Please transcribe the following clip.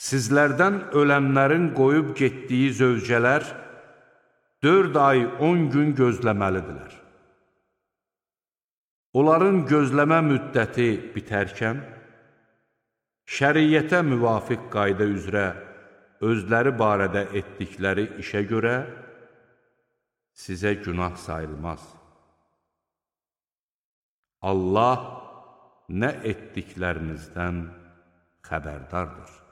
Sizlərdən ölənlərin qoyub getdiyi zövcələr 4 ay 10 gün gözləməlidirlər. Onların gözləmə müddəti bitərkən, şəriyyətə müvafiq qayda üzrə özləri barədə etdikləri işə görə sizə günah sayılmaz. Allah nə etdiklərinizdən xəbərdardır.